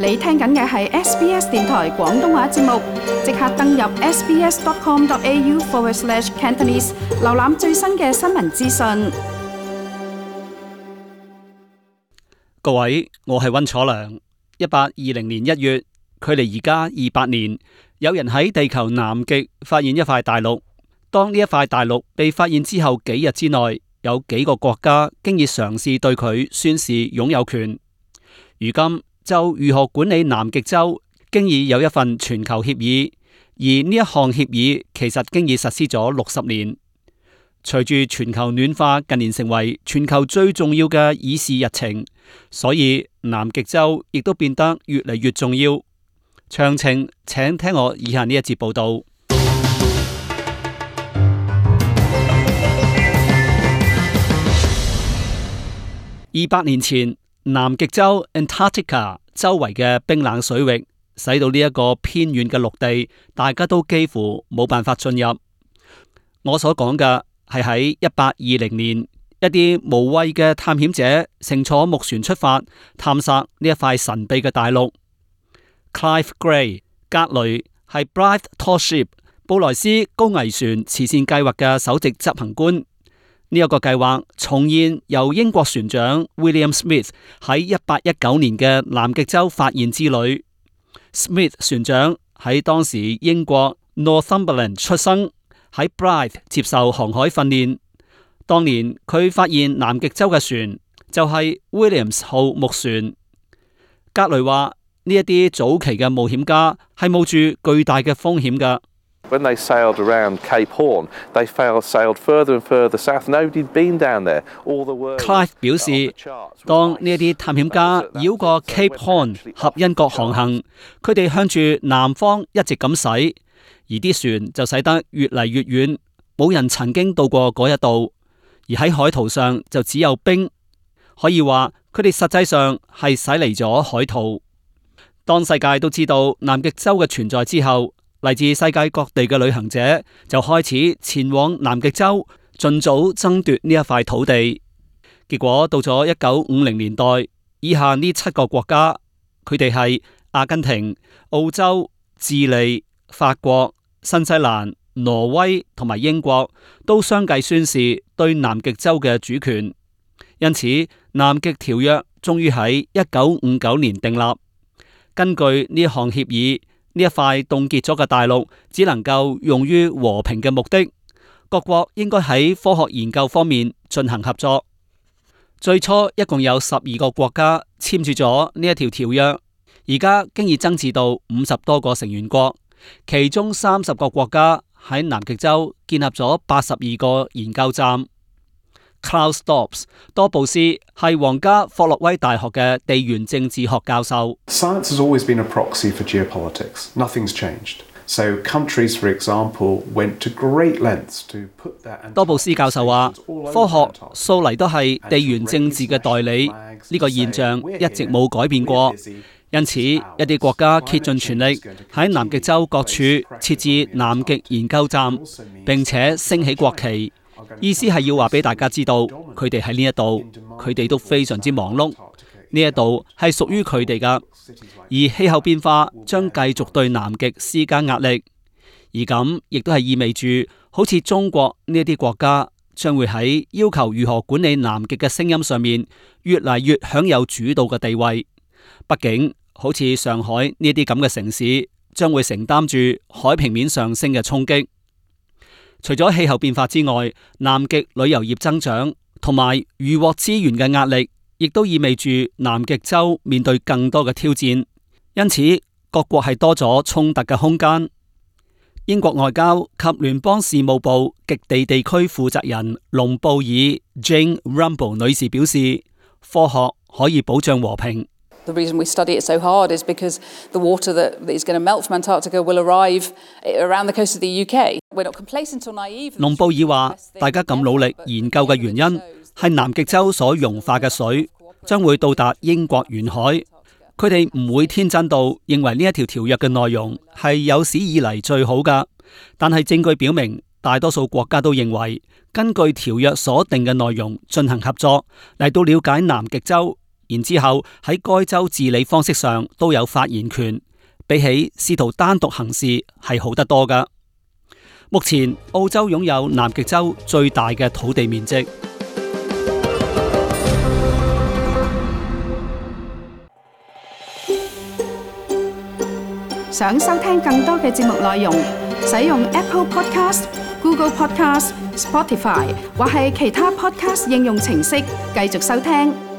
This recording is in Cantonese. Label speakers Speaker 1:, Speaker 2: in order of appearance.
Speaker 1: 你聽緊嘅係 SBS 電台廣東話節目，即刻登入 sbs.com.au/Cantonese 瀏覽最新嘅新聞資訊。
Speaker 2: 各位，我係溫楚良。1820年1月，距離而家200年，有人喺地球南極發現一塊大陸。當呢一塊大陸被發現之後幾日之內，有幾個國家經已嘗試對佢宣示擁有權。如今就如何管理南極洲，經已有一份全球協議，而呢一項協議其實經已實施咗60年。隨住全球暖化近年成為全球最重要嘅議事日程，所以南極洲亦都變得越嚟越重要。詳情請聽我以下呢一節報道。200年前，南極洲 Antarctica 周圍嘅冰冷水域，使到呢一個偏遠嘅陸地，大家都幾乎冇辦法進入。我所講嘅係喺1820年，一啲無畏嘅探險者乘坐木船出發，探索呢一塊神秘嘅大陸。Clive Gray 格雷係 Blythe Tall Ship 布萊斯高危船慈善計劃嘅首席執行官。呢一個計劃重現由英國船長 William Smith 喺1819年嘅南極洲發現之旅。Smith 船長喺當時英國 Northumberland 出生，喺 Blythe 接受航海訓練。當年佢發現南極洲嘅船就係 Williams 號木船。格雷話呢一啲早期嘅冒險家係冒住巨大嘅風險㗎。
Speaker 3: When they sailed around Cape Horn, they sailed further and further south. Nobody'd been down there. All the work.
Speaker 2: Clive 表示，當呢一啲探險家繞過 Cape Horn 合恩角航行，佢哋向住南方一直咁駛，而啲船就駛得越嚟越遠，冇人曾經到過嗰一度，而喺海圖上就只有冰，可以話佢哋實際上係駛離咗海圖。當世界都知道南極洲嘅存在之後，嚟自世界各地嘅旅行者就開始前往南極洲，盡早爭奪呢一塊土地。結果到咗1950年代，以下呢7個國家，佢哋係阿根廷、澳洲、智利、法國、新西蘭、挪威同埋英國，都相繼宣示對南極洲嘅主權。因此，南極條約終於喺1959年訂立。根據呢項協議，呢一塊凍結咗嘅大陸只能夠用於和平嘅目的，各國應該喺科學研究方面進行合作。最初一共有12個國家簽署咗呢一條條約，而家經已增至到50多個成員國，其中30個國家喺南極洲建立咗82個研究站。Klaus Dobbs 多布斯係皇家霍洛威大學嘅地緣政治學教授。
Speaker 4: Science has always been a proxy for geopolitics. Nothing's changed. So countries, for example, went to great lengths to put that.
Speaker 2: 多布斯教授話，科學素嚟都係地緣政治嘅代理，呢個現象一直冇改變過。因此，一啲國家竭盡全力喺南極洲各處設置南極研究站，並且升起國旗。意思係要話俾大家知道，佢哋喺呢一度，佢哋都非常之忙碌。呢一度係屬於佢哋噶，而氣候變化將繼續對南極施加壓力，而咁亦都係意味住，好似中國呢一啲國家將會喺要求如何管理南極嘅聲音上面，越嚟越享有主導嘅地位。畢竟，好似上海呢啲咁嘅城市，將會承擔住海平面上升嘅衝擊。除咗氣候變化之外，南極旅遊業增長同埋漁獲資源嘅壓力，亦都意味住南極洲面對更多嘅挑戰。因此，各國係多咗衝突嘅空間。英國外交及聯邦事務部極地地區負責人隆布爾 Jane Rumble 女士表示，科學可以保障和平。
Speaker 5: The reason we study it so hard is because the water that is going to melt from Antarctica will arrive around the coast of the UK. We're not complacent or naive.
Speaker 2: 隆布爾話，大家咁努力研究嘅原因係南極洲所融化嘅水將會到達英國沿海。佢哋唔會天真到認為呢一條條約嘅內容係有史以嚟最好㗎，但係證據表明，大多數國家都認為根據條約所定嘅內容進行合作，嚟到了解南極洲，而然之後喺該州治理方式上都有發言權，比起試圖單獨行事係好得多㗎。目前澳洲擁有南極洲最大嘅土地面積。
Speaker 1: 想收聽更多嘅節目內容，使用 Apple Podcast、Google Podcast、Spotify 或係其他 Podcast 應用程式繼續收聽。